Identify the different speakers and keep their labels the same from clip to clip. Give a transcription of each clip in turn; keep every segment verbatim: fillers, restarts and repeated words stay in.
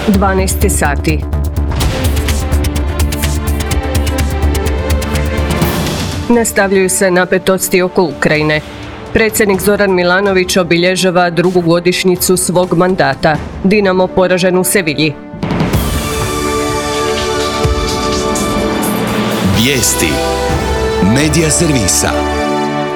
Speaker 1: dvanaest sati. Nastavljaju se napetosti oko Ukrajine. Predsjednik Zoran Milanović obilježava drugu godišnjicu svog mandata. Dinamo poražen u Sevilji.
Speaker 2: Vijesti Medija servisa.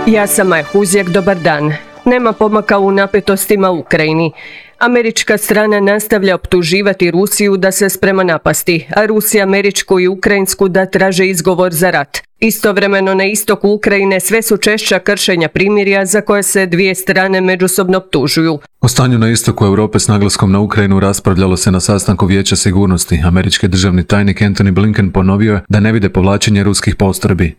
Speaker 1: Ja sam Maja Huzjak, dobar dan. Nema pomaka u napetostima u Ukrajini. Američka strana nastavlja optuživati Rusiju da se sprema napasti, a Rusija američku i ukrajinsku da traže izgovor za rat. Istovremeno na istoku Ukrajine sve su češća kršenja primirja za koje se dvije strane međusobno optužuju.
Speaker 3: O stanju na istoku Europe s naglaskom na Ukrajinu raspravljalo se na sastanku Vijeća sigurnosti. Američki državni tajnik Antony Blinken ponovio je da ne vide povlačenje ruskih postrojbi.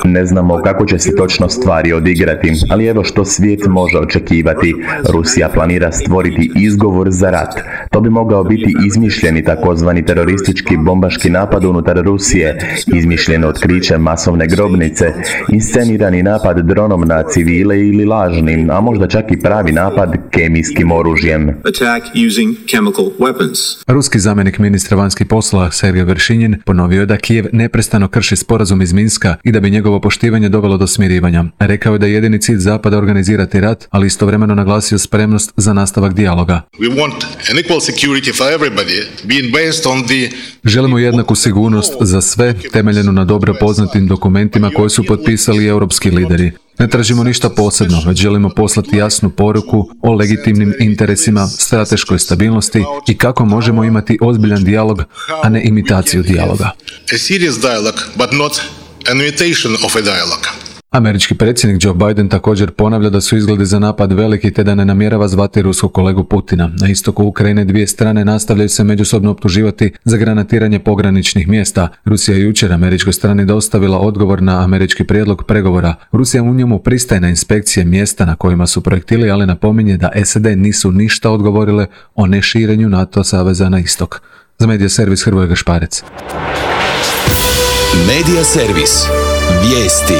Speaker 4: Ne znamo kako će se točno stvari odigrati, ali evo što svijet može očekivati. Rusija planira stvoriti izgovor za rat. To bi mogao biti izmišljeni takozvani teroristički bombaški napad unutar Rusije, izmišljeno otkriće masovne grobnice, inscenirani napad dronom na civile ili lažni, a možda čak i pravi napad kemijskim oružjem.
Speaker 3: Ruski zamjenik ministra vanjskih poslova Sergej Veršinjin ponovio je da Kijev neprestano krši sporazum iz Minska i da bi njegovo poštivanje dovelo do smirivanja. Rekao je da je jedini cilj Zapada organizirati rat, ali istovremeno naglasio spremnost za nastavak dijaloga. Želimo jednaku sigurnost za sve, temeljenu na dobro poznatim dokumentima koje su potpisali europski lideri. Ne tražimo ništa posebno, već želimo poslati jasnu poruku o legitimnim interesima, strateškoj stabilnosti i kako možemo imati ozbiljan dijalog, a ne imitaciju dijaloga. Američki predsjednik Joe Biden također ponavlja da su izgledi za napad veliki te da ne namjerava zvati ruskog kolegu Putina. Na istoku Ukrajine dvije strane nastavljaju se međusobno optuživati za granatiranje pograničnih mjesta. Rusija je jučer američkoj strani dostavila odgovor na američki prijedlog pregovora. Rusija u njemu pristaje na inspekcije mjesta na kojima su projektili, ali napominje da S A D nisu ništa odgovorile o neširenju NATO saveza na istok. Za Medija servis Hrvoje Gašparec.
Speaker 2: Medija servis. Vijesti.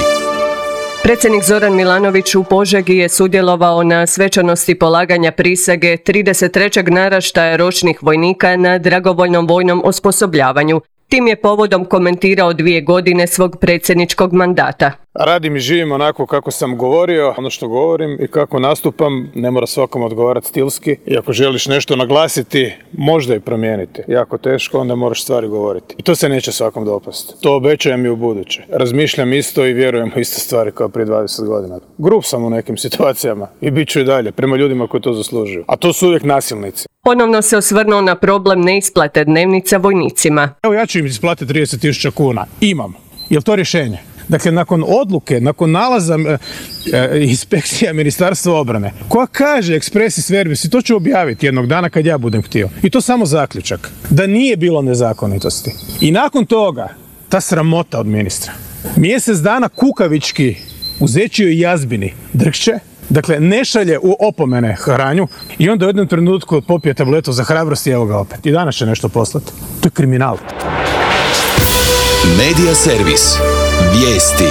Speaker 1: Predsjednik Zoran Milanović u Požegi je sudjelovao na svečanosti polaganja prisege trideset trećeg naraštaja ročnih vojnika na dragovoljnom vojnom osposobljavanju. Tim je povodom komentirao dvije godine svog predsjedničkog mandata.
Speaker 5: Radim i živim onako kako sam govorio, ono što govorim i kako nastupam, ne mora svakom odgovarati stilski. I ako želiš nešto naglasiti, možda i promijeniti. Jako teško, onda moraš stvari govoriti. I to se neće svakom dopasti. To obećajem i u buduće. Razmišljam isto i vjerujem u iste stvari kao prije dvadeset godina. Grup sam u nekim situacijama i bit ću i dalje prema ljudima koji to zaslužuju. A to su uvijek nasilnici.
Speaker 1: Ponovno se osvrnuo na problem neisplate dnevnica vojnicima.
Speaker 5: Evo ja ću im isplatiti trideset tisuća kuna. Imam. Je li to rješenje? Dakle, nakon odluke, nakon nalaza e, e, inspekcija Ministarstva obrane, koja kaže expressis verbis, i to ću objaviti jednog dana kad ja budem htio. I to samo zaključak. Da nije bilo nezakonitosti. I nakon toga, ta sramota od ministra. Mjesec dana kukavički u zečijoj jazbini drhće, dakle, ne šalje u opomene hranju i onda u jednom trenutku popije tabletu za hrabrost i evo ga opet. I danas će nešto poslati. To je kriminal.
Speaker 2: Medija servis. Vijesti.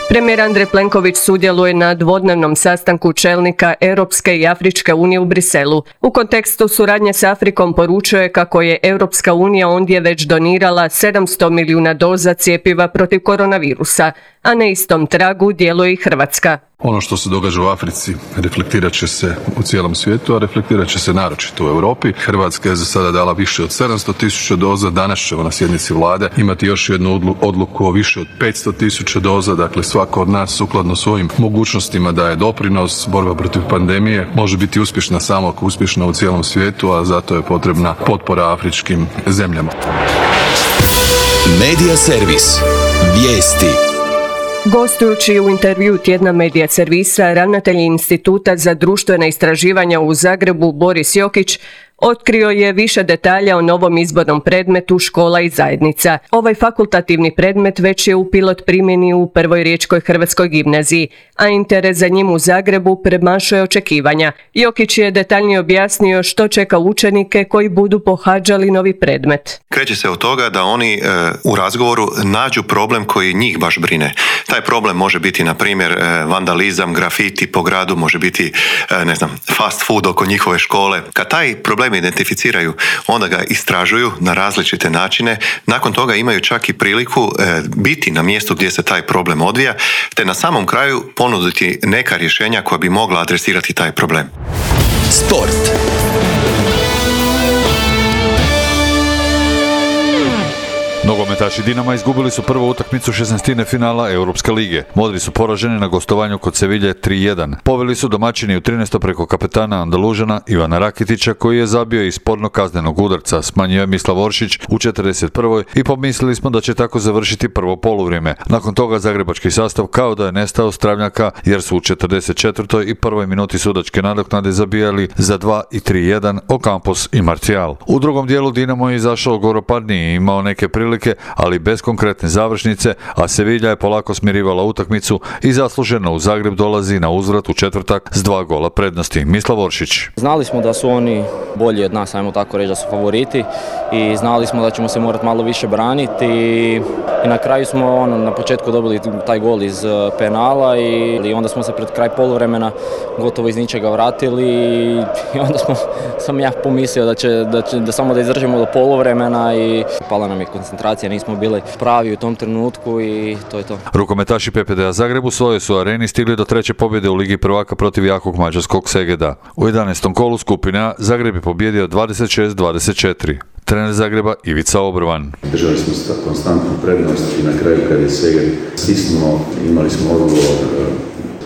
Speaker 1: Premijer Andrej Plenković sudjeluje na dvodnevnom sastanku čelnika Europske i Afričke unije u Briselu. U kontekstu suradnje s Afrikom poručuje kako je Europska unija ondje već donirala sedamsto milijuna doza cjepiva protiv koronavirusa, a na istom tragu djeluje i Hrvatska.
Speaker 6: Ono što se događa u Africi reflektirat će se u cijelom svijetu, a reflektirat će se naročito u Europi. Hrvatska je za sada dala više od sedamsto tisuća doza, danas ćemo na sjednici vlade imati još jednu odluku o više od petsto tisuća doza, dakle svako od nas sukladno svojim mogućnostima daje doprinos. Borba protiv pandemije može biti uspješna samo ako uspješna u cijelom svijetu, a zato je potrebna potpora afričkim zemljama.
Speaker 2: Medija servis. Vijesti.
Speaker 1: Gostujući u intervju tjedna Medija servisa, ravnatelj Instituta za društvena istraživanja u Zagrebu Boris Jokić Otkrio je više detalja o novom izbornom predmetu škola i zajednica. Ovaj fakultativni predmet već je u pilot primjeni u Prvoj riječkoj hrvatskoj gimnaziji, a interes za njim u Zagrebu premašuje očekivanja. Jokić je detaljnije objasnio što čeka učenike koji budu pohađali novi predmet.
Speaker 7: Kreće se od toga da oni e, u razgovoru nađu problem koji njih baš brine. Taj problem može biti, na primjer, e, vandalizam, grafiti po gradu, može biti, e, ne znam, fast food oko njihove škole. Kad taj problem identificiraju, onda ga istražuju na različite načine. Nakon toga imaju čak i priliku e, biti na mjestu gdje se taj problem odvija, te na samom kraju ponuditi neka rješenja koja bi mogla adresirati taj problem.
Speaker 2: Sport.
Speaker 8: Nogometaši Dinama izgubili su prvu utakmicu šesnaestine finala Europske lige. Modri su poraženi na gostovanju kod Sevilje tri jedan. Poveli su domaćini u trinaestom preko kapetana Andalužana Ivana Rakitića, koji je zabio iz spornog kaznenog udarca. Smanjio je Mislav Oršić u četrdeset prvoj i pomislili smo da će tako završiti prvo poluvrijeme. Nakon toga zagrebački sastav kao da je nestao stravnjaka, jer su u četrdeset četvrtoj i prvoj minuti sudačke nadoknade zabijali za dva i tri jedan Ocampos i Martial. U drugom dijelu Dinamo je izašao goropadniji i imao neke prilike, ali bez konkretne završnice, a Sevilla je polako smirivala utakmicu i zasluženo u Zagreb dolazi na uzvrat u četvrtak s dva gola prednosti. Mislav Oršić.
Speaker 9: Znali smo da su oni bolji od nas, ajmo tako reći, da su favoriti i znali smo da ćemo se morati malo više braniti i na kraju smo ono, na početku dobili taj gol iz penala i, i onda smo se pred kraj poluvremena gotovo iz ničega vratili i onda smo, sam ja pomislio da, će, da, će, da samo da izdržimo do poluvremena i pala nam je koncentracija, nismo bili pravi u tom trenutku i to je to.
Speaker 8: Rukometaši P P D-a Zagreb u svojoj su areni stigli do treće pobjede u Ligi prvaka protiv jakog mađarskog Segeda. U jedanaestom kolu skupine A Zagreb je pobjedio dvadeset šest dvadeset četiri. Trener Zagreba Ivica Obrvan.
Speaker 10: Držali smo konstantnu prednost i na kraju kad je Seged stisnuo, imali smo odgovor,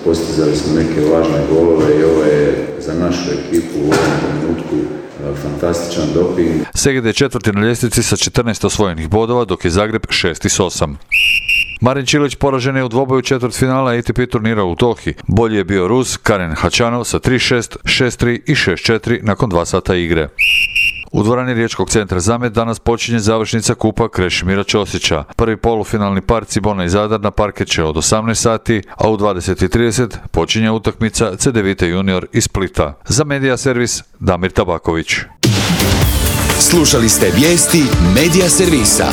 Speaker 10: postizali smo neke važne golove i ovo je za našu ekipu u ovom trenutku fantastičan doping.
Speaker 8: Seged je četvrti na ljestvici sa četrnaest osvojenih bodova, dok je Zagreb šesti s osam. Marin Čilić poražen je u dvoboju četvrtfinala A T P turnira u Dohi. Bolji je bio Rus Karen Hačanov sa tri šest, šest tri i šest četiri nakon dva sata igre. U dvorani Riječkog centra Zamet danas počinje završnica kupa Krešimira Ćosića. Prvi polufinalni par Cibona i Zadar na parket će od osamnaest sati, a u dvadeset i trideset počinje utakmica C D Vita Junior iz Splita. Za Medija servis Damir Tabaković.
Speaker 2: Slušali ste vijesti Medija servisa.